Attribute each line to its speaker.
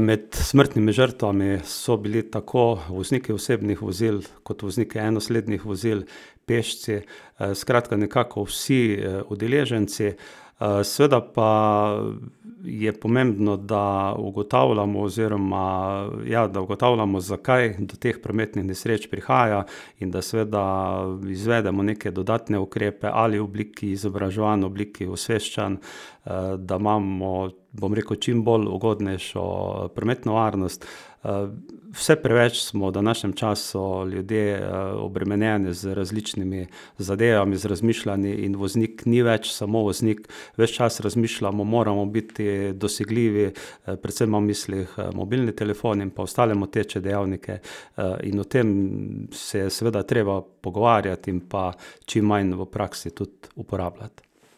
Speaker 1: Med smrtnimi žrtvami so bili tako vozniki osebnih vozil kot vozniki enoslednih vozil, pešci, skratka nekako vsi, udeleženci. Seveda pa je pomembno, da ugotavljamo oziroma, ja, da ugotavljamo, zakaj do teh prometnih nesreč prihaja, in da seveda izvedemo neke dodatne ukrepe ali v obliki izobraževanj, v obliki osveščanj, da imamo, bom rekel, čim bolj ugodnejšo prometno varnost. Vse preveč smo v današnjem času ljudje, obremenjeni z različnimi zadevami, z razmišljanji, in voznik ni več samo voznik. Ves čas razmišljamo, moramo biti dosegljivi, predvsem imam v mislih, mobilni telefon in pa ostale moteče dejavnike, in o tem se je seveda treba pogovarjati in pa čim manj v praksi tudi uporabljati.